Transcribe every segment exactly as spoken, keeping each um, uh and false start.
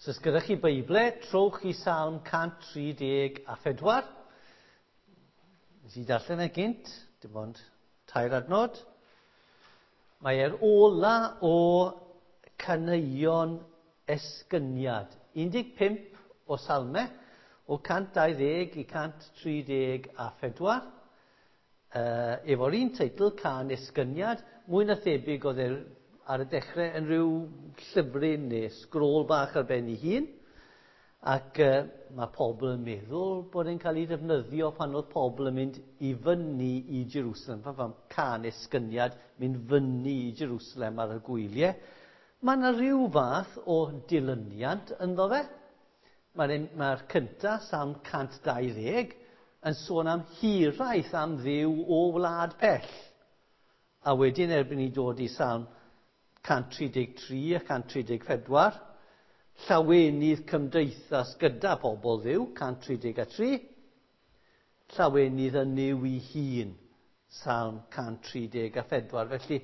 So os gyda chi Beible, trowch i Salm cant tri deg a phedwar. Nes i darllen e gynt, dim ond tair adnod. Mae e'r ola o caneuon esgyniad. un deg pump o salmau, o cant dau ddeg i cant tri deg a phedwar. Uh, efo'r un teitl, Cân Esgyniad, mwy na thebyg oedd e ar y dechrau yn rhyw llyfryn neu sgrôl bach ar ben ei hun. Ac uh, mae pobl yn meddwl bod e'n cael ei ddefnyddio pan oedd pobl yn mynd i fyny i Jerusalem. Pan fam Cân Esgyniad, mynd fyny i Jerusalem ar y gwyliau. Mae yna rhyw fath o dilyniant ynddo fe. Mae'r mae cynta, Salm cant dau ddeg, yn sôn am hiraeth am Dduw o wlad pell. A wedyn erbyn i dod i Salm cant tri deg tri a cant tri deg pedwar, llawenydd cymdeithas gyda pobl Dduw, cant tri deg a tri, llawenydd yn Nuw ei hun, Salm cant tri deg a phedwar. Felly,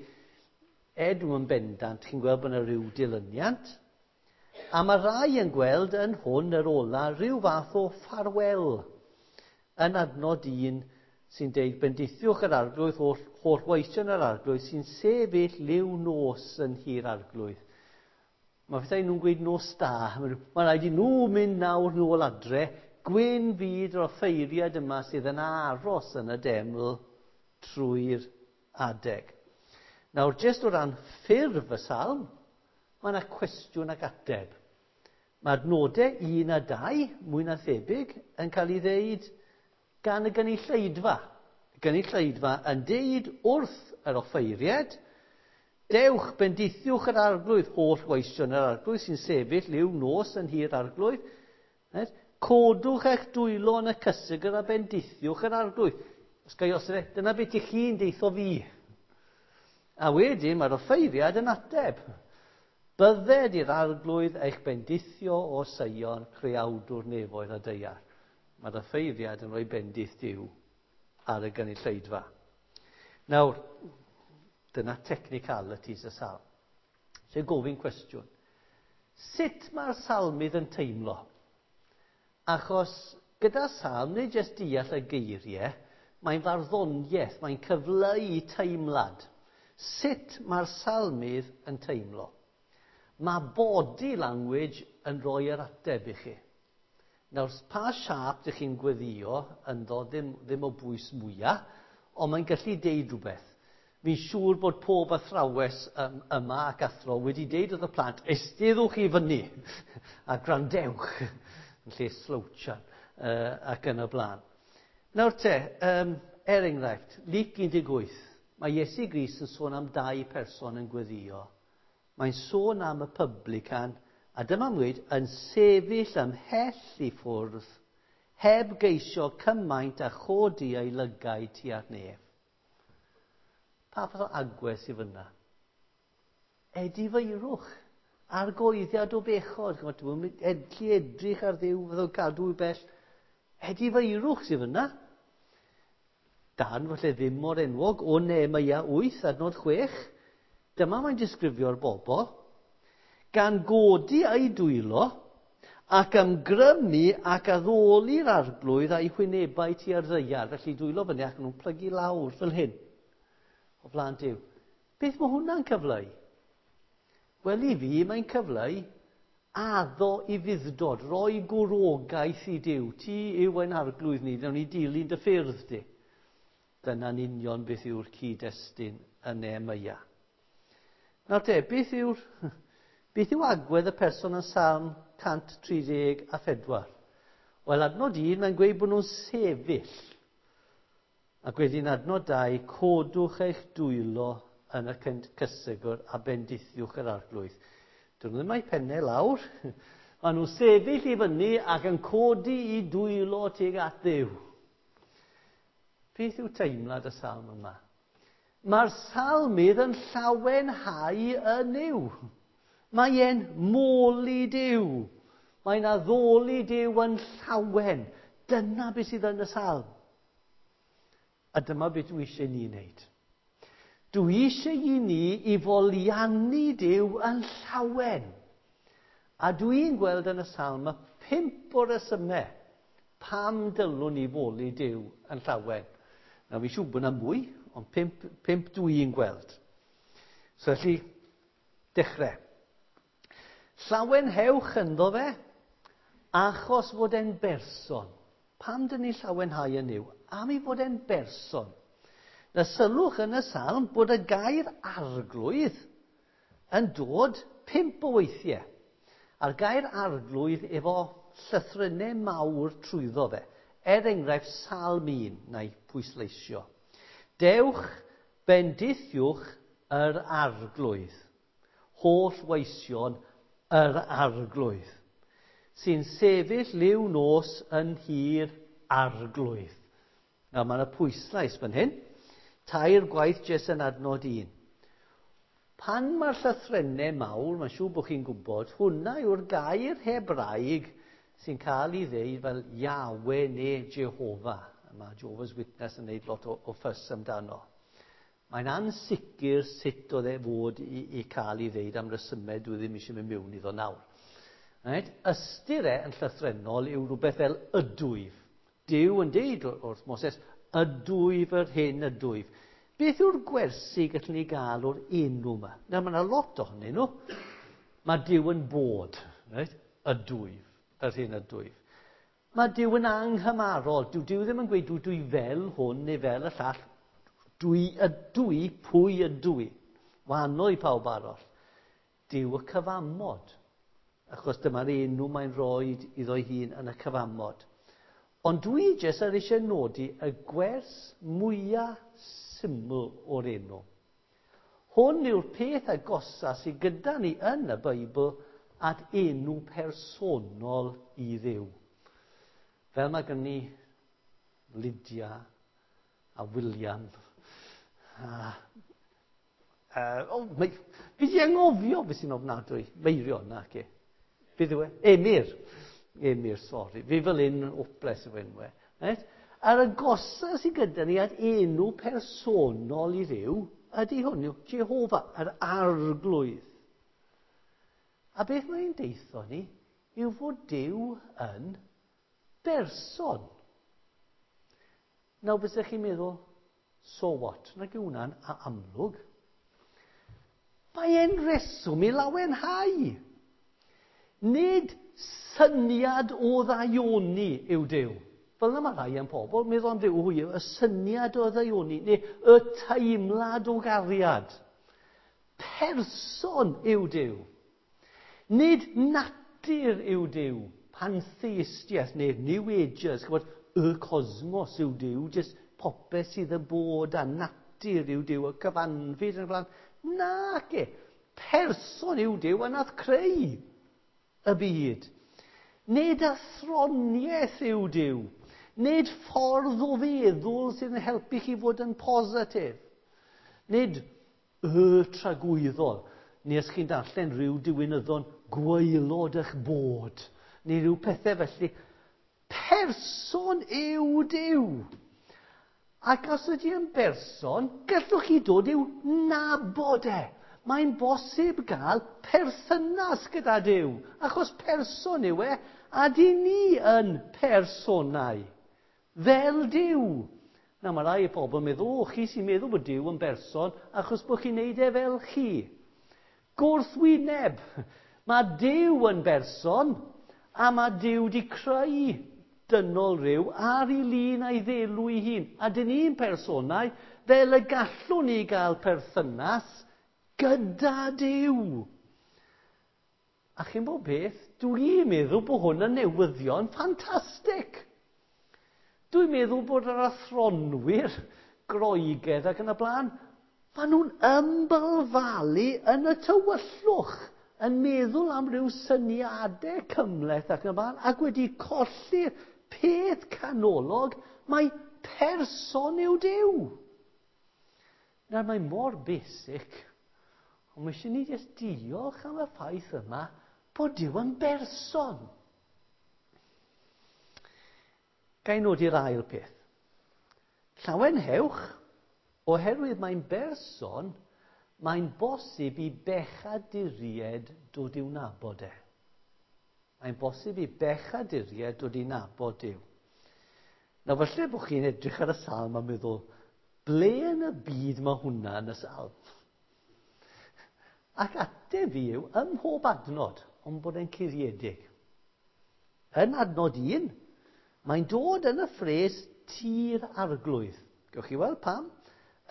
edw yn bendant, chi'n gweld bod yna rhyw dilyniant. A mae rai yn gweld yn hwn yr ola rhyw fath o ffarwel yn adnod un sy'n deud bendithiwch yr arglwydd, holl, holl weision yr arglwydd sy'n sefyll liw nos yn nhŷ'r arglwydd. Mae pethau nhw'n gweud nos da. Mae rhaid i nhw mynd nawr nôl adre. Gwyn fyd o'r offeiriad yma sydd yn aros yn y deml trwy'r adeg. Nawr, jyst o ran ffurf y salm, mae yna cwestiwn ac ateb. Mae adnodau un a dau, mwy na thebyg, yn cael ei ddeud gan y gynulleidfa. Y gynulleidfa yn deud wrth yr offeiriad, dewch, bendithiwch yr arglwydd, holl weision yr arglwydd sy'n sefyll liw nos yn nhŷ'r arglwydd. Codwch eich dwylo yn y cysegr a bendithiwch yr arglwydd. Os gai os yna, dyna beth ych chi'n deitho fi. A wedyn mae'r offeiriad yn ateb. Bydded i'r arglwydd eich bendithio o Seion, creawdwr nefoedd a daear. Mae'r offeiriad yn rhoi bendith Duw ar y gynulleidfa. Nawr, dyna technicalities y salm. So gofyn cwestiwn. Sut mae'r salmydd yn teimlo? Achos gyda salm, nid jyst deall y geiriau, mae'n farddoniaeth, mae'n cyfleu teimlad. Sut mae'r salmydd yn teimlo? Mae body language yn rhoi yr ateb i chi. Nawr, pa siâp ydych chi'n gweddio ynddo ddim, ddim o bwys mwyaf, ond mae'n gallu deud rhywbeth. Fi'n siŵr bod pob athrawes yma ac athro wedi deud wrth y plant, eisteddwch i fyny a gwrandewch yn lle slouchan uh, ac yn y blaen. Nawr te, um, er enghraifft, Luc un deg wyth, mae Iesu Grist yn sôn am dau person yn gweddio. Mae'n sôn am y publican, a dyma mwyd, yn sefyll ymhell i ffwrdd, heb geisio cymaint a chodi ei lygaid tua'r nef. Pa fath o agwedd sydd fyna? Edifeirwch, argoeddiad o bechod. Dwi'n edlu edrych ar Dduw, fydd o'n cadw i bell. Edifeirwch sydd fyna. Dan, falle ddim mor enwog, o Nehemia wyth, adnod chwech. Dyma mae'n disgrifio'r bobl. Gan godi ei dwylo ac ymgrymu ac addoli'r arglwydd a'i hwynebau tua'r ddaear. Felly dwylo fyny ac nhw'n plygu lawr fel hyn o flaen Duw. Beth mae hwnna'n cyfleu? Wel, i fi, mae'n cyfleu addo i fuddod, roi gwrogaeth i Duw. Ti yw ein arglwydd ni, nawn ni dilyn dy ffyrdd di. Dyna'n union beth yw'r cyd-destun yn Nehemia. Nawr te, beth yw'r... Beth yw agwedd y person yn Salm cant tri deg a phedwar? Wel, adnod un, mae'n gweud bod nhw'n sefyll. Ac wedyn adnod dau, codwch eich dwylo yn y cysegr a bendithiwch yr arglwydd. Dyn nhw ddim a'u pennau lawr. Maen nhw'n sefyll i fyny ac yn codi i dwylo tuag at Dduw. Beth yw teimlad y salm yma? Mae'r salmydd yn llawenhau yn Nuw. Mae e'n moli Duw. Mae'n addoli Duw yn llawen. Dyna beth sydd yn y salm. A dyma beth dwi eisiau ni wneud. Dwi eisiau i ni i foliannu Duw yn llawen. A dwi'n gweld yn y salm y pump o resymau pam dylwn ni foli Duw yn llawen. Nawr, fi'n siŵr bod yna mwy, ond pump, pump dwi'n gweld. So felly, dechrau. Llawenhewch ynddo fe, achos fod e'n berson. Pam dyn ni llawenhau yn Nuw? Am ei fod e'n berson. Na sylwch yn y salm bod y gair arglwydd yn dod pump o weithiau. A'r gair arglwydd efo llythrennau mawr trwyddo fe. Er enghraifft, Salm un, na i pwysleisio. Dewch, bendithiwch yr arglwydd. Holl weision yr arglwydd. Sy'n sefyll liw nos yn nhŷ'r arglwydd. Nawr, mae yna pwyslais fan hyn. Tair gwaith jyst yn adnod un. Pan mae'r llythrennau mawr, mae'n siŵr bod chi'n gwybod, hwnna yw'r gair Hebraeg sy'n cael ei ddeud fel Yahweh neu Jehovah. Mae Jehovah's Witness yn gwneud lot o, o ffys amdano. Mae'n ansicr sut oedd e fod i, i cael ei ddeud am resymau dwi ddim eisiau mynd mewn iddo nawr. Right? Ystyr e yn llythrennol yw rhywbeth fel ydwyf. Duw yn deud wrth Moses, ydwyf yr hyn ydwyf. Beth yw'r gwersi gallwn ni gael o'r enw yma? Nawr, mae yna lot ohonyn nhw. Mae Duw yn bod, right? Ydwyf, yr hyn ydwyf. Mae Duw yn anghymarol. Dyw Duw ddim yn gweud dwi, dwi fel hwn neu fel y llall. Dwi ydw i, pwy ydw i. Wahanol i pawb arall. Duw y cyfamod. Achos dyma'r enw mae'n rhoi iddo'i hun yn y cyfamod. Ond dwi jyst ar eisiau nodi y gwers mwyaf syml o'r enw. Hwn yw'r peth agosa sydd gyda ni yn y Beibl at enw personol i Dduw. Fel mae gen ni Lydia a William. A, uh, oh, mae, fi di anghofio beth sy'n ofnadwy. Meirion, na, ce. Beth yw e? Emyr. Emyr, sori. Fi fel un hopeless efo enwau. Right? A'r agosa sydd gyda ni at enw personol i Dduw ydy hwn, yw Jehovah, yr arglwydd. A beth mae'n deitho ni yw fod Duw yn berson. Nawr, bysech chi'n meddwl, so what? Nag yw hwnna'n amlwg. Mae e'n reswm i lawenhau. Nid syniad o ddaioni yw Duw. Fel yna mae rhai yn pobl, meddwl am Dduw, hwy, y syniad o ddaioni, neu y teimlad o gariad. Person yw Duw. Nid natur yw Duw. Pantheistiaeth neu New Agers, chybod, y cosmos yw Duw, jyst popeth sydd yn bod a natur yw Duw, y cyfanfyd yn y blaen. Nace, person yw Duw a nath creu y byd. Nid athroniaeth yw Duw. Nid ffordd o feddwl sydd yn helpu chi fod yn positif. Nid y tragwyddol. Neu os chi'n darllen rhyw diwinyddon gwaelod eich bod. Neu rhyw pethau felly. Person yw Duw. Ac os ydy yn berson, gallwch chi dod i'w nabod e. Mae'n bosib gael perthynas gyda Duw, achos person yw e, a di ni yn personau, fel Duw. Na, mae rai pobl yn meddwl, o, chi sy'n meddwl bod Duw yn berson, achos bod chi'n neud e fel chi. Gwrthwyneb, mae Duw yn berson, a mae Duw di creu dynol rhyw ar ei lun a'i ddelw ei hun. A dyn ni'n personau, fel y gallwn ni gael perthynas gyda Duw. A chi'n bod beth, dwi'n meddwl bod hwn yn newyddion ffantastig. Dwi'n meddwl bod yr athronwyr Groegaidd ac yn y blaen, maen nhw'n ymbalfalu yn y tywyllwch, yn meddwl am ryw syniadau cymhleth ac yn y blaen, ac wedi colli'r peth canolog, mae person yw Duw. Nawr, mae mor basic, ond mae eisiau ni jyst diolch am y ffaith yma bod Duw yn berson. Ga i nodi'r ail peth. Llawenhewch, oherwydd mae'n berson, mae'n bosib i bechaduriaid dod i'w nabod e. Mae'n bosib i bechaduriaid dod i nabod Duw. Nawr falle bod chi'n edrych ar y salm a meddwl, ble yn y byd mae hwnna yn y salm? Ac ateb fi yw, ym mhob adnod, ond bod e'n curiedig. Yn adnod un, mae'n dod yn y ffres tir arglwydd. Gewch chi weld pam?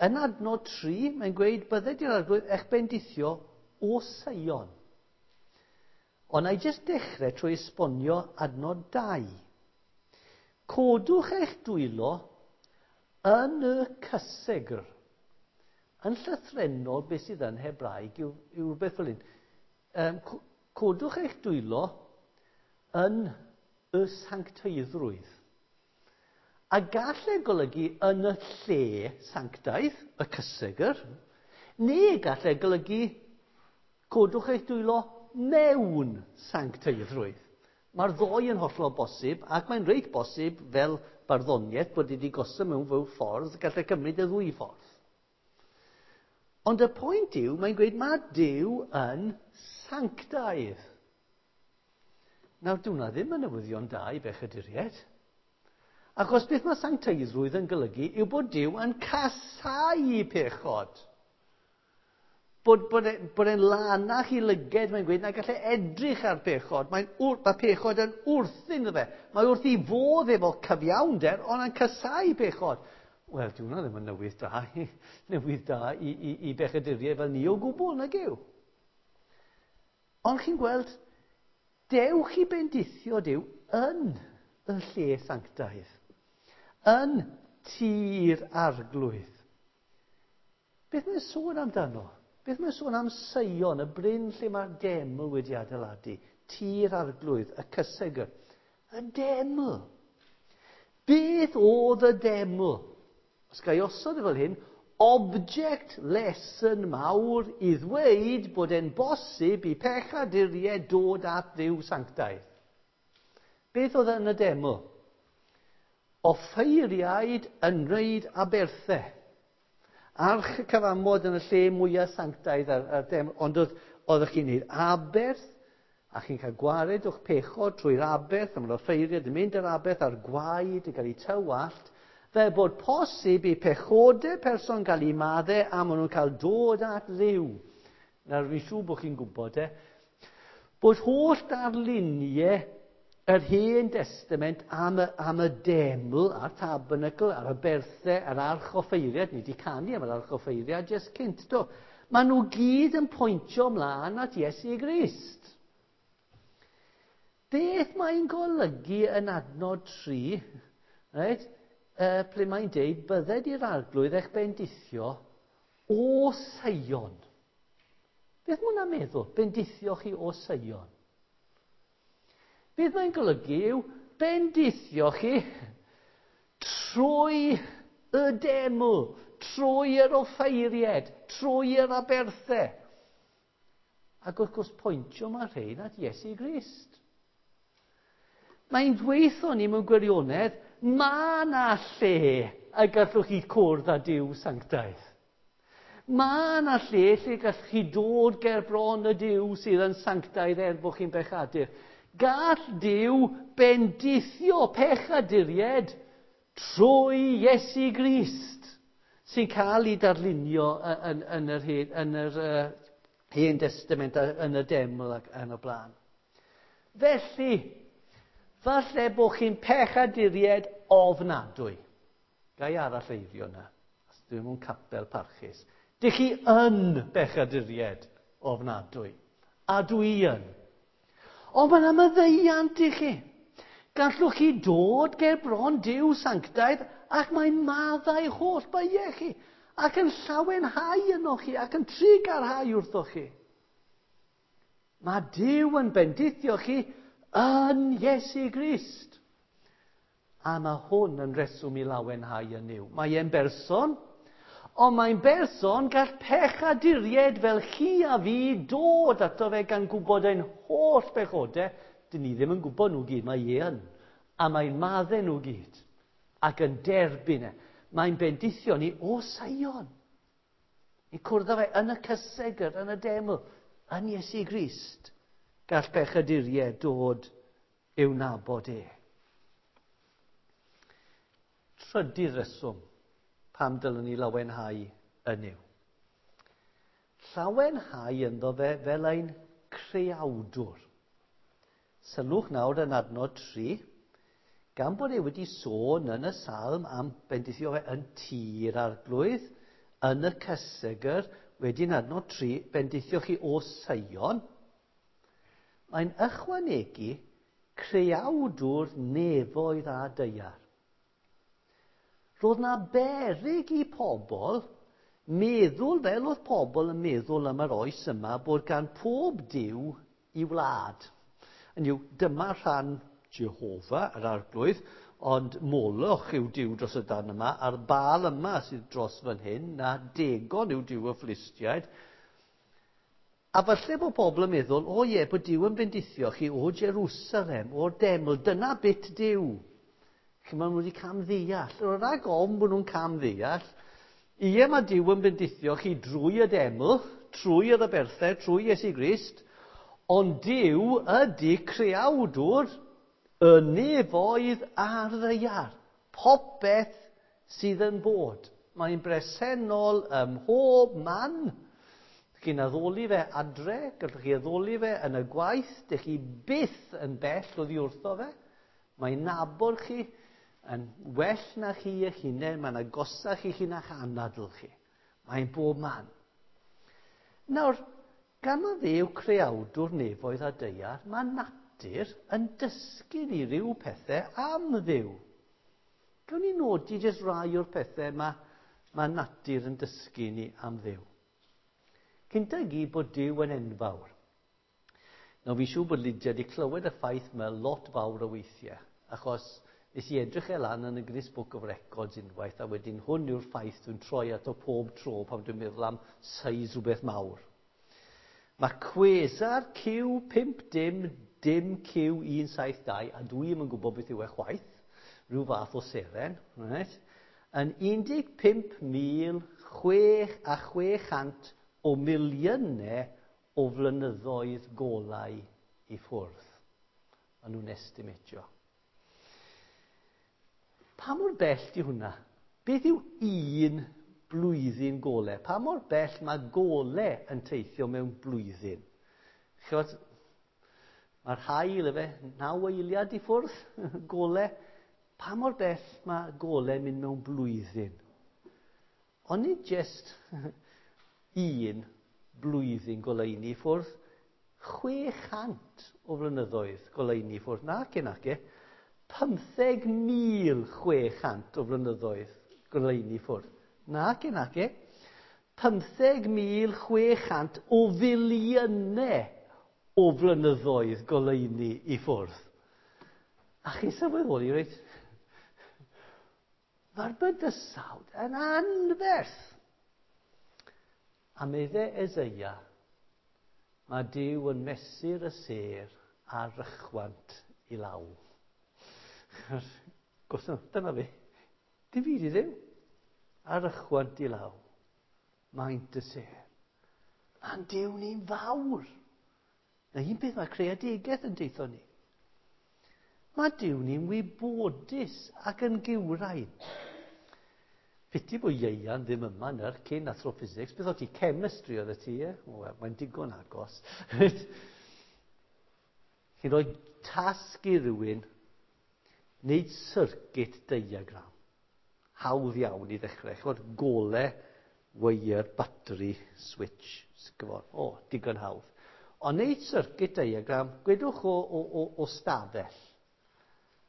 Yn adnod tri, mae'n gweud, bydded i'r arglwydd eich bendithio o Seion. Ond na i jyst dechrau trwy esbonio adnod dau. Codwch eich dwylo yn y cysegr. Yn llythrennol, beth sydd yn Hebraeg yw, yw rhywbeth fel hyn. Um, codwch eich dwylo yn y sancteiddrwydd. A gall e golygu yn y lle sanctaidd, y cysegr, neu gall e golygu codwch eich dwylo mewn sancteiddrwydd. Mae'r ddoi yn hollol bosib, ac mae'n reit bosib fel barddoniaeth bod wedi gosod mewn fyw ffordd, gall e cymryd y ddwy ffordd. Ond y pwynt yw, mae'n gweud mae Duw yn sanctaidd. Nawr, dyw hwnna ddim yn newyddion da i bechaduriaid. Achos beth mae sancteiddrwydd yn golygu yw bod Duw yn casáu pechod. Bod, bod, e, bod e'n lanach i lyged, mae'n gweud, na gallai edrych ar pechod. Mae'n, mae pechod yn wrthyn iddo fe. Mae wrth ei fodd efo cyfiawnder, ond yn casáu pechod. Wel, dyw hwnna ddim yn newydd da, newydd da i, i, i bechaduriaid fel ni o gwbl, nag yw. Ond chi'n gweld, dewch i bendithio Duw yn y lle sanctaidd, yn tir arglwydd. Beth mae'n sôn amdano? Beth mae'n sôn am Seion, y bryn lle mae'r deml wedi adeiladu, tir arglwydd, y cysegr, y deml. Beth oedd y deml? Os ga i osod e fel hyn, object lesson mawr i ddweud bod e'n bosib i pechaduriaid dod at Dduw sanctaidd. Beth oedd yn y deml? Offeiriaid yn wneud aberthau. Arch y cyfamod yn y lle mwyaf sanctaidd ar, ar deml, ond oedd, oeddech chi'n gwneud aberth, a chi'n cael gwared o'ch pechod trwy'r aberth, a mae'r offeiriaid yn mynd yr aberth a'r gwaed yn cael ei tywallt, fel bod posib i pechodau person gael ei maddau a maen nhw'n cael dod at Dduw. Nawr, fi'n siŵr bod chi'n gwybod e, bod holl darluniau yr Hen Testament am y, am y deml, a'r tabernacl, a'r aberthau, a'r arch offeiriad, ni wedi canu am yr arch offeiriad jyst cynt, do. Maen nhw gyd yn pwyntio ymlaen at Iesu Grist. Beth mae'n golygu yn adnod tri, right? Uh, ple mae'n deud, bydded i'r arglwydd eich bendithio o Seion. Beth mae hwnna'n meddwl? Bendithio chi o Seion. Beth mae'n golygu yw bendithio chi trwy y deml, trwy yr offeiried, trwy yr aberthau. Ac wrth gwrs pwyntio mae rhain at Iesu Grist. Mae'n dweithio ni mewn gwirionedd, mae yna lle y gallwch chi cwrdd â Duw sanctaidd. Mae yna lle lle gallwch chi dod ger bron y Duw sydd yn sanctaidd er bod chi'n bechadur. Gall Duw bendithio pechaduriaid trwy Iesu Grist sy'n cael ei darlunio yn, yn yr hen, yn yr, uh, hen Testament, yn y deml ac yn y blaen. Felly, falle bod chi'n pechaduriaid ofnadwy. Gai arall eirio yna, os dwi'n mewn capel parchus. Dych chi yn bechaduriaid ofnadwy. A dwi yn. Ond mae yna maddeuant i chi. Gallwch chi dod ger bron Duw sanctaidd ac mae'n maddau holl beiau chi. Ac yn llawenhau yno chi ac yn trugarhau wrthoch chi. Mae Duw yn bendithio chi yn Iesu Grist. A mae hwn yn reswm i lawenhau yn Nuw. Mae e'n berson, ond mae'n berson gall pechaduriaid fel chi a fi dod ato fe gan gwybod ein holl bechodau. Dyn ni ddim yn gwybod nhw gyd, mae e yn. A mae'n maddau nhw gyd ac yn derbyn e. Mae'n bendithio ni o Seion. Ni cwrdd â fe yn y cysegr, yn y deml, yn Iesu Grist. gall pechaduriaid dod i'w nabod e. Trydydd reswm pam dylwn ni lawenhau yn Nuw. Llawenhau ynddo fe fel ein creawdwr. Sylwch nawr yn adnod tri, gan bod e wedi sôn yn y salm am bendithio fe yn tir arglwydd, yn y cysegr, wedyn adnod tri, bendithio chi o Seion, mae'n ychwanegu creawdwr nefoedd a daear. Roedd na beryg i pobl meddwl fel oedd pobl yn meddwl am yr oes yma bod gan pob Duw i wlad. Yn yw, dyma rhan Jehofa, yr arglwydd, ond Moloch yw Duw dros y dan yma, a'r Baal yma sydd dros fan hyn, na Dagon yw Duw y Philistiaid. A falle bod pobl yn meddwl, o ie, bod Duw yn bendithio chi o Jerusalem, o'r deml, dyna bit Duw. Chi maen nhw wedi camddeall. Roedd rhag ofn bod nhw'n camddeall. Ie, mae Duw yn bendithio chi drwy y deml, trwy yr aberthau, trwy Iesu Grist, ond Duw ydy creawdwr y nefoedd a'r ddaear. Popeth sydd yn bod. Mae'n bresennol ym mhob man. Chi'n addoli fe adre, gallwch chi addoli fe yn y gwaith, dych chi byth yn bell oddi wrtho fe. Mae'n nabod chi yn well na chi eich hunain, mae'n agosach i chi na'ch anadl chi. Mae'n bob man. Nawr, gan ma fe yw creawdwr nefoedd a daear, mae natur yn dysgu ni ryw pethau am Dduw. Gawn ni nodi jyst rai o'r pethau mae, mae natur yn dysgu ni am Dduw. Cynta i gyd bod Duw yn enfawr. Nawr, fi'n siŵr bod Lydia wedi clywed y ffaith yma lot fawr o weithiau, achos nes i edrych e lan yn y Guinness Book of Records unwaith, a wedyn hwn yw'r ffaith dwi'n troi ato pob tro pan dwi'n meddwl am size rhywbeth mawr. Mae Quasar Q pump dim dim Q un saith dau, a dwi ddim yn gwybod beth yw e chwaith, rhyw fath o seren, right, yn un deg pump mil chwech a chwe chant o miliynau o flynyddoedd golau i ffwrdd. Maen nhw'n estimatio. Pa mor bell di hwnna? Beth yw un blwyddyn golau? Pa mor bell mae golau yn teithio mewn blwyddyn? Chymod, mae'r haul efe, naw eiliad i ffwrdd, golau. Pa mor bell mae golau yn mynd mewn blwyddyn? Ond nid jyst un blwyddyn goleuni i ffwrdd, chwe chant o flynyddoedd goleuni i ffwrdd. Nac e, nac e, pymtheg mil chwe chant o flynyddoedd goleuni i ffwrdd. Nac e, nac e, pymtheg mil chwe chant o filiynau o flynyddoedd goleuni i ffwrdd. A chi sylweddoli, reit? Mae'r bydysawd yn anferth. A meddai Eseia, mae Duw yn mesur y sêr a'r rychwant i law. Gwrs, dyna fi. Dim byd i Dduw. A'r rychwant i law. Maint y sêr. Mae'n Duw ni'n fawr. Na un peth mae creadigaeth yn deithio ni. Mae Duw ni'n wybodus ac yn gywrain. Piti bod Ieuan ddim yma nyr, cyn athro physics. Beth oedd ti? Chemistry oedd ti, e? O, wel, mae'n digon agos. Chi'n rhoi tasg i rywun wneud circuit diagram. Hawdd iawn i ddechrau. Ch'mod, gole, wire, battery, switch. Sgyfon. O, digon hawdd. Ond wneud circuit diagram, gwedwch o, o, o, o stafell.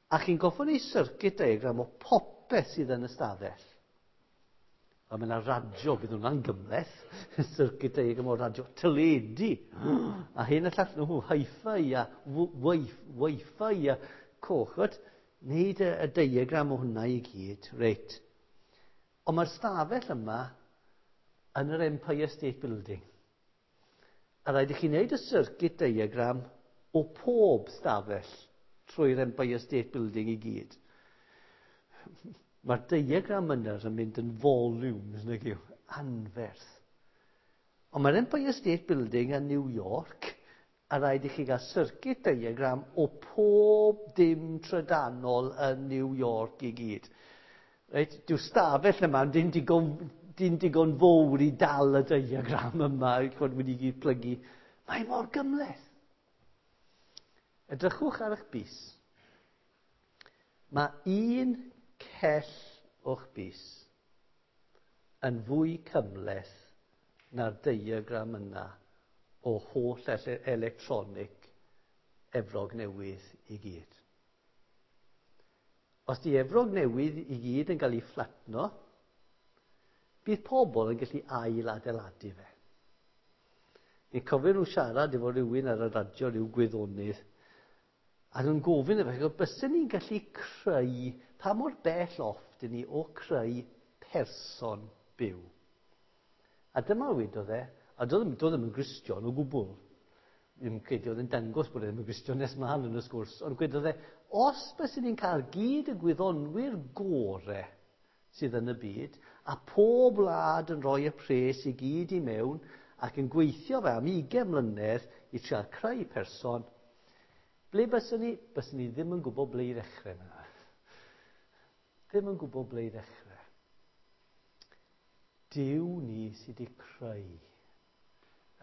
A chi'n goffo wneud circuit diagram o popeth sydd yn y stafell. A mae yna radio, bydd hwnna'n gymhleth, circuit diagram o radio, teledu, a hyn y llall nhw, hi-fi a wi-fi a coch, wneud y, y diagram o hwnna i gyd, reit. Ond mae'r stafell yma yn yr Empire State Building. A rhaid i chi wneud y circuit diagram o pob stafell trwy'r Empire State Building i gyd. Mae'r diagram yna yn mynd yn volumes, nag yw, anferth. Ond mae'r Empire State Building yn New York A rhaid i chi gael circuit diagram o pob dim trydanol yn New York i gyd. Reit, dyw stafell yma dim digon, dim digon fawr i dal y diagram yma, chod wedi gyd plygu. Mae mor gymhleth. Edrychwch ar eich bys. Mae un cell o'ch bys yn fwy cymhleth na'r diagram yna o holl electronic Efrog Newydd i gyd. Os di Efrog Newydd i gyd yn cael ei fflatno, bydd pobl yn gallu ail adeiladu fe. Ni'n cofio nhw siarad efo rhywun ar y radio, rhyw gwyddonydd, a nhw'n gofyn efo, byswn ni'n gallu creu, pa mor bell off dyn ni o creu person byw? A dyma wedodd e, a doedd ddim yn Gristion o gwbl. Ddim credu oedd yn dangos bod e ddim yn Gristion nes mlaen yn y sgwrs, ond gwedodd e, os byswn ni'n cael gyd y gwyddonwyr gore sydd yn y byd, a pob wlad yn rhoi y pres i gyd i mewn, ac yn gweithio fe am ugain mlynedd i trial creu person, ble byswn ni? Byswn ni ddim yn gwybod ble i ddechrau. Ddim yn gwybod ble i ddechrau. Duw ni sydd wedi creu.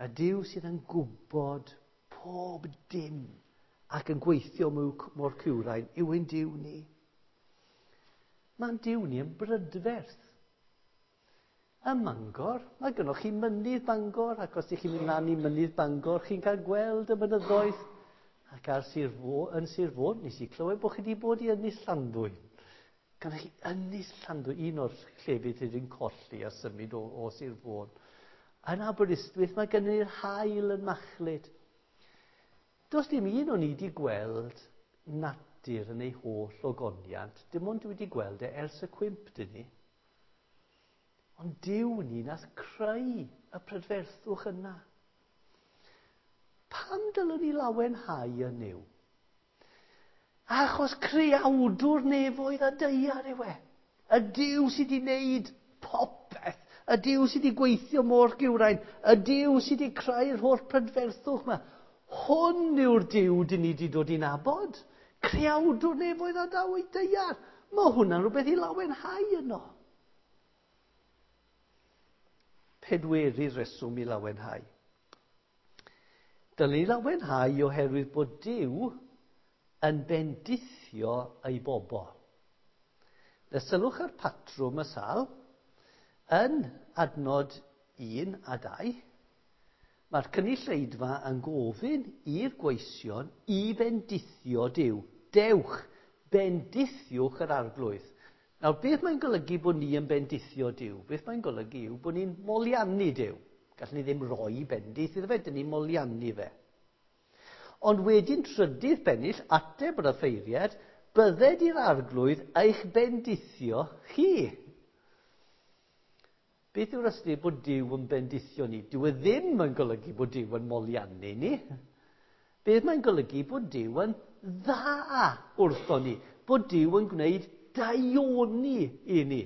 A Duw sydd yn gwybod pob dim ac yn gweithio mor cywrain yw ein Duw ni. Mae'n Duw ni yn brydferth. Ym Mangor, mae gynnoch chi mynydd Bangor, ac os ydych chi'n mynd lan i mynydd Bangor, chi'n cael gweld y mynyddoedd. Ac ar Sir Fôn, yn Sir Fôn, nes i clywed bod chi wedi bod i Ynys Llanddwyn. Gynnoch chi Ynys Llanddwyn, un o'r llefydd sydd wedi'n colli a symud o, o Sir Fôn. Yn Aberystwyth, mae gynnon ni'r haul yn machlud. Does dim un o'n i wedi gweld natur yn ei holl ogoniant. Dim ond dwi wedi gweld e ers y cwymp, dyn ni. Ond Duw ni nath creu y prydferthwch yna. Pam dylwn ni lawenhau yn Nuw? Achos creawdwr nefoedd a daear yw e. Y Duw sydd wedi wneud popeth. Y Duw sydd wedi gweithio mor gywrain. Y Duw sydd wedi creu'r holl prydferthwch yma. Hwn yw'r Duw dyn ni wedi dod i nabod. Creawdwr nefoedd a daear. Mae hwnna'n rhywbeth i lawenhau yno. Pedwerydd reswm i lawenhau. Dylwn ni lawenhau oherwydd bod Duw yn bendithio ei bobl. Na sylwch ar patrwm y sal, yn adnod un a dau, mae'r cynulleidfa yn gofyn i'r gweision i bendithio Duw. Dewch, bendithiwch yr Arglwydd. Nawr, beth mae'n golygu bod ni yn bendithio Duw? Beth mae'n golygu yw bod ni'n moliannu Duw. Gallwn ni ddim rhoi bendith iddo fe, dyn ni'n moliannu fe. Ond wedyn trydydd bennill, ateb yr offeiriad, bydded i'r Arglwydd eich bendithio chi. Beth yw'r ystyr bod Duw yn bendithio ni? Dyw e ddim yn golygu bod Duw yn moliannu ni. Beth mae'n golygu bod Duw yn dda wrtho ni. Bod Duw yn gwneud daioni i ni.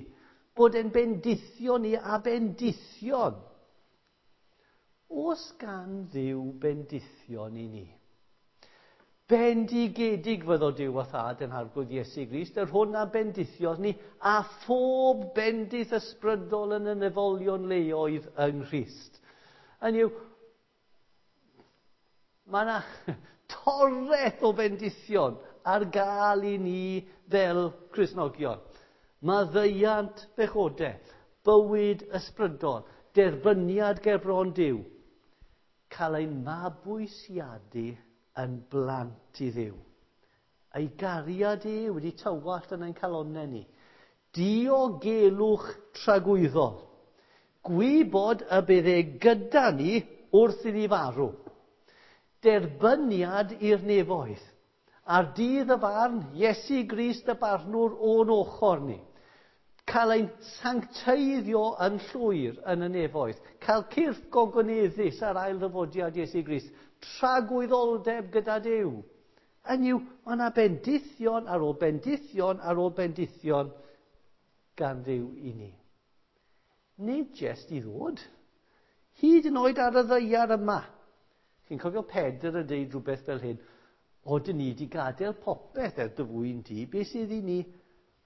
Bod e'n bendithio ni a bendithion. Oes gan Dduw bendithion i ni? Bendigedig fyddo Duw a Thad yn Arglwydd Iesu Grist, yr hwn a bendithiodd ni, a phob bendith ysbrydol yn y nefolion leoedd yng Nghrist. Hynny yw, mae yna toreth o bendithion ar gael i ni fel Cristnogion. Maddeuant pechodau, bywyd ysbrydol, derbyniad ger bron Duw, cael ein mabwysiadu yn blant i Dduw. Ei gariad e wedi tywallt yn ein calonnau ni. Diogelwch tragwyddol. Gwybod y bydd e gyda ni wrth i ni farw. Derbyniad i'r nefoedd. Ar dydd y farn, Iesu Grist y barnwr o'n ochr ni. Cael ein sancteiddio yn llwyr yn y nefoedd. Cael cyrff gogoneddus ar ail ddyfodiad Iesu Grist. Tragwyddoldeb gyda Duw. Hynny yw, mae yna bendithion ar ôl bendithion ar ôl bendithion gan Dduw i ni. Nid jest i ddod. Hyd yn oed ar y ddaear yma. Chi'n cofio Pedr yn deud rhywbeth fel hyn, o, dyn ni wedi gadael popeth er dy fwyn di, beth sydd i ni?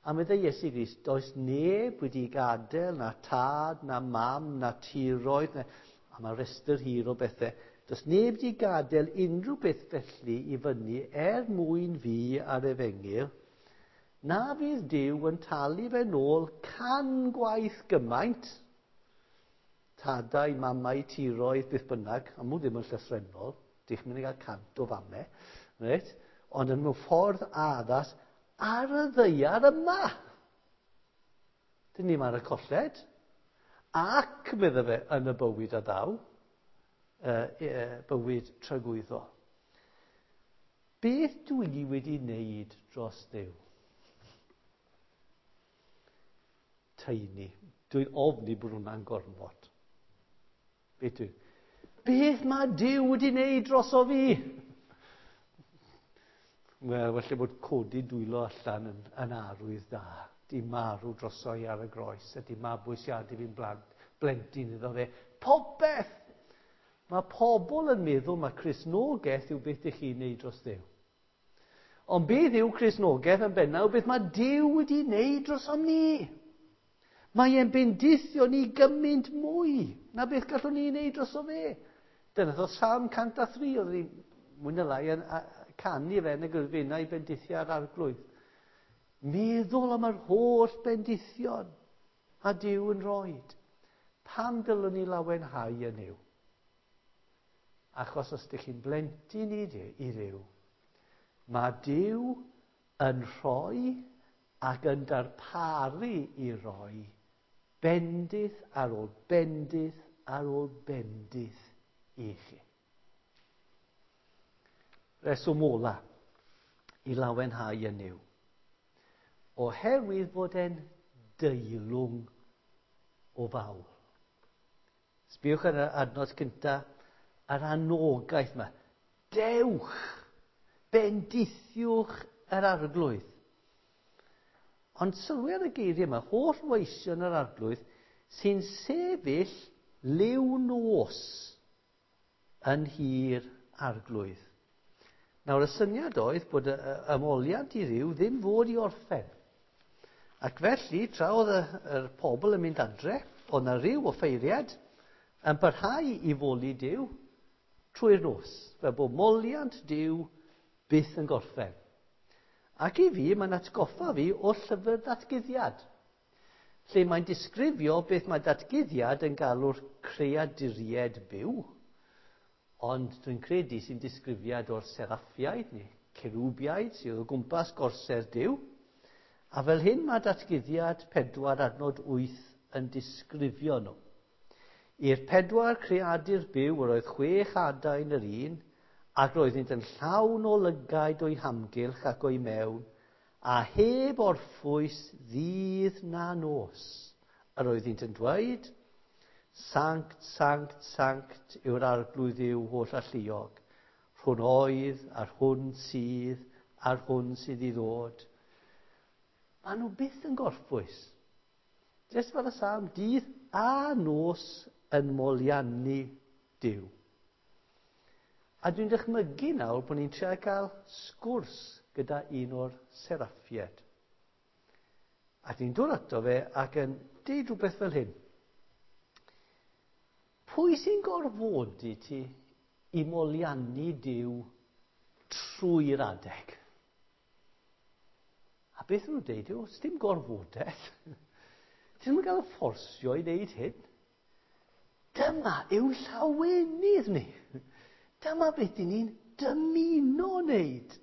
A meddai Iesu Grist, does neb wedi gadael na tad, na mam, na tiroedd, na, a mae rhestr hir o bethau. Does neb wedi gadael unrhyw beth felly i fyny er mwyn fi a'r efengyl, na fydd Duw yn talu fe nôl can gwaith gymaint, tadau, mamau, tiroedd, beth bynnag, a mw ddim yn llythrennol, dych chi'n mynd i gael cant o famau, reit? Ond yn mewn ffordd addas ar y ddaear yma. Dyn ni'm ar y colled. Ac, medda fe, yn y bywyd a ddaw, uh, uh, bywyd tragwyddol. Beth dwi wedi wneud dros Dduw? Teini. Dwi'n ofni bod hwnna'n gormod. Beth dwi? Beth mae Duw wedi wneud droso fi? Wel, falle bod codi dwylo allan yn, yn arwydd da. Di marw droso i ar y groes, a di mabwysiadu fi'n blant, blentyn iddo fe. Popeth! Mae pobl yn meddwl mae Cristnogaeth yw beth ych chi'n neud dros Dduw. Ond beth yw Cristnogaeth yn bennaf? Beth mae Duw wedi wneud drosom ni? Mae e'n bendithio ni gymaint mwy na beth gallwn ni wneud droso fe. Dyna ddodd Salm cant a thri, oedd ni mwy na lai yn canu fe yn y gyrfenau i bendithio ar arglwydd. Meddwl am yr holl bendithion a Duw yn roed. Pam dylwn ni lawenhau yn Nuw? Achos os ydych chi'n blentyn i Dduw, mae Duw yn rhoi ac yn darparu i roi bendith ar ôl bendith ar ôl bendith i chi. Reswm ola i lawenhau yn Nuw. Oherwydd fod e'n deilwng o fawl. Sbiwch ar yr adnod cyntaf, yr anogaeth yma. Dewch, bendithiwch yr arglwydd. Ond sylwi ar y geiriau yma, holl weision yr arglwydd sy'n sefyll liw nos yn hir arglwydd. Nawr, y syniad oedd bod y ymoliant i Dduw ddim fod i orffen. Ac felly, tra oedd y, yr pobl yn mynd adre, oedd na ryw offeiriad yn parhau i foli Duw trwy'r nos, fel bod moliant Duw byth yn gorffen. Ac i fi, mae'n atgoffa fi o llyfr datguddiad, lle mae'n disgrifio beth mae datguddiad yn galw'r creaduriaid byw, ond dwi'n credu sy'n disgrifiad o'r seraffiaid neu cerubiaid sydd o gwmpas gorsedd Duw. A fel hyn mae datguddiad pedwar adnod wyth yn disgrifio nhw. I'r pedwar creadur byw yr oedd chwech adain yr un, ac roeddynt yn llawn o lygaid o'i hamgylch ac o'i mewn, a heb orffwys ddydd na nos. Yr oeddynt yn dweud, Sanct, sanct, sanct yw'r arglwydd Dduw holl alluog, rhwn oedd, a'r hwn sydd, a'r hwn sydd i ddod. Maen nhw byth yn gorffwys. Jyst fel y salm, dydd a nos yn moliannu Duw. A dwi'n dychmygu nawr bod ni'n trio cael sgwrs gyda un o'r seraffiaid. A dwi'n dod ato fe ac yn deud rhywbeth fel hyn. Pwy sy'n gorfodi ti i moliannu Duw trwy'r adeg? A beth nhw'n deud yw, dim gorfodaeth. Ti ddim yn cael y fforsio i wneud hyn. Dyma yw llawenydd ni. Dyma beth dyn ni'n dymuno wneud.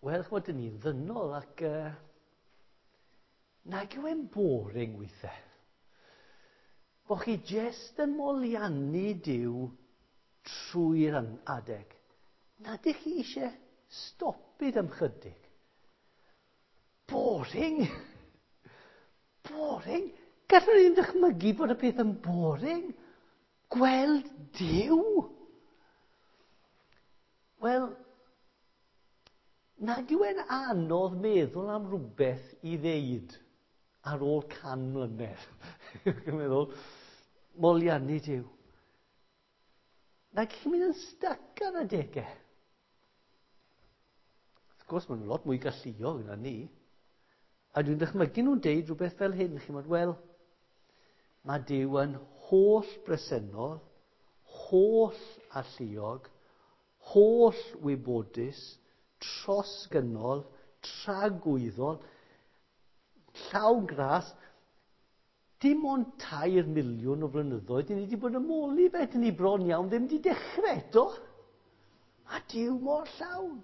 Wel, ch'mod, dyn ni'n ddynol ac uh, nag yw e'n boring weithiau. Bo chi jest yn moliannu Duw trwy'r adeg. Na ydych chi eisiau stopid am chydig. Boring! Boring! Gallwn ni ddim dychmygu bod y peth yn boring. Gweld Duw! Wel, nag yw e'n anodd meddwl am rhywbeth i ddeud ar ôl can mlynedd. Dwi'n meddwl, moliannu Duw. Nag chi'n mynd yn styc ar adegau. Wrth gwrs, maen nhw'n lot mwy galluog na ni. A dwi'n dychmygu nhw'n deud rhywbeth fel hyn. Chi'n meddwl, wel, mae Duw yn holl bresennol, holl alluog, holl wybodus, trosgynnol, tragwyddol, llawn gras. Dim ond tair miliwn o flynyddoedd, dyn ni wedi bod yn moli fe, dyn ni bron iawn ddim wedi dechrau eto. Mae Duw mor llawn.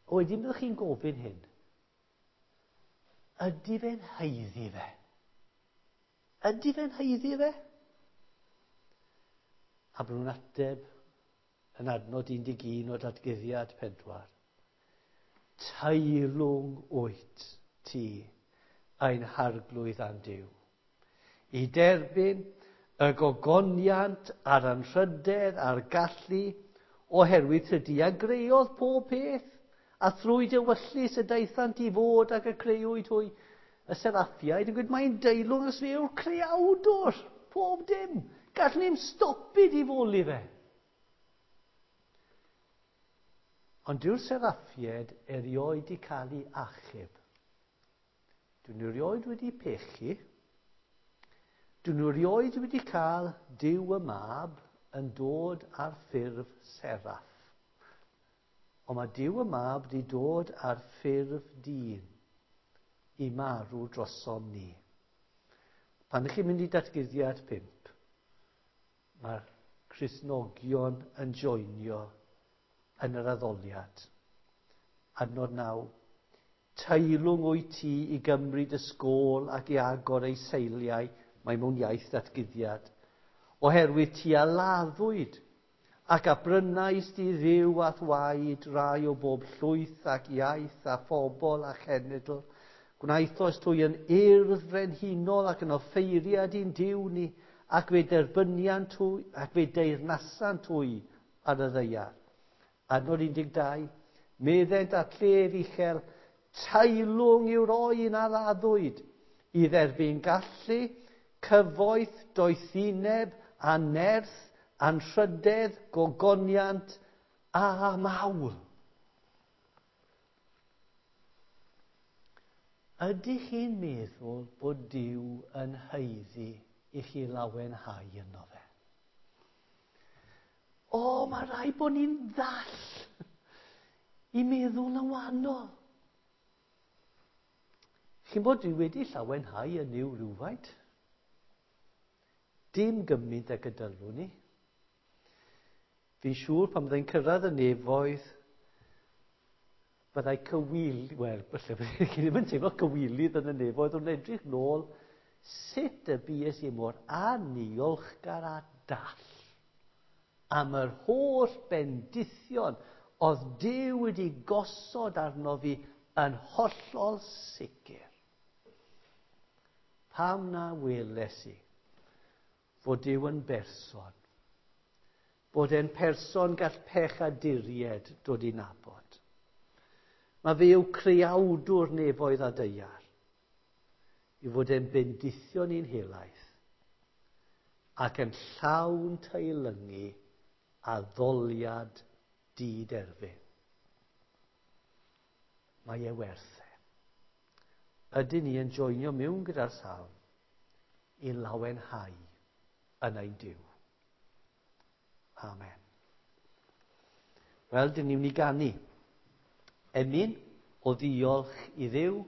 O, wedyn byddwch chi'n gofyn hyn. Ydy fe'n haeddu fe? Ydy fe'n haeddu fe? A bod nhw'n ateb yn adnod un deg un o Datguddiad pedwar. Teilwng wyt ti ein harglwydd a'n Duw. I derbyn y gogoniant a'r anrhydedd a'r gallu oherwydd tydi a greodd pob peth, a thrwy dewyllys y daethant i fod ac y creuwyd hwy. Y seraffiaid yn gweud, mae'n deilwng os fe yw'r creawdwr, pob dim. Gallwn ni'm stopi di foli fe. Ond dyw'r seraffiaid erioed wedi cael ei achub. Dyn nhw erioed wedi pechu. Dyn nhw erioed wedi cael Duw y Mab yn dod ar ffurf seraff. Ond mae Duw y Mab wedi dod ar ffurf dyn i marw drosom ni. Pan ydych chi'n mynd i Datguddiad pump, mae'r Cristnogion yn joinio yn yr addoliad. Adnod naw. Teilwng wyt ti i gymryd y sgôl ac i agor ei seiliau, mae mewn iaith datguddiad. Oherwydd ti a laddwyd ac a brynais di Dduw a'th waed rai o bob llwyth ac iaith a phobl a chenedl. Gwnaethos trwy yn urdd frenhinol ac yn offeiriad i'n Duw ni, ac fe derbyniant hwy, ac fe deyrnasant hwy ar y ddaear. Adnod un deg dau, meddent at llef uchel, teilwng yw'r oen a laddwyd, i dderbyn gallu, cyfoeth, doethineb, a nerth, anrhydedd, gogoniant a mawl. Ydych chi'n meddwl bod Duw yn haeddu i chi lawenhau yno fe? O, mae rhaid bod ni'n ddall i meddwl yn wahanol. Chi'n bod dwi wedi llawenhau yn Nuw rhywfaint? Dim gymaint ag y dylwn ni. Fi'n siŵr pan byddai'n cyrraedd y nefoedd, byddai cywil, wel, falle byddai chi ddim yn teimlo cywilydd yn y nefoedd, ond edrych nôl sut y bues i mor aniolchgar a dall am yr holl bendithion oedd Duw wedi gosod arno fi yn hollol sicr. Pam na weles i fod Duw yn berson, bod e'n person gall pechaduriaid dod i nabod. Mae fe yw creawdwr nefoedd a daear, i fod e'n bendithion i'n helaeth ac yn llawn teilyngu addoliad diderfyn. Mae e werth e. Ydyn ni yn joinio mewn gyda'r salm i lawenhau yn ein Duw. Amen. Wel, dyn ni'n mynd i ganu emyn o ddiolch i Dduw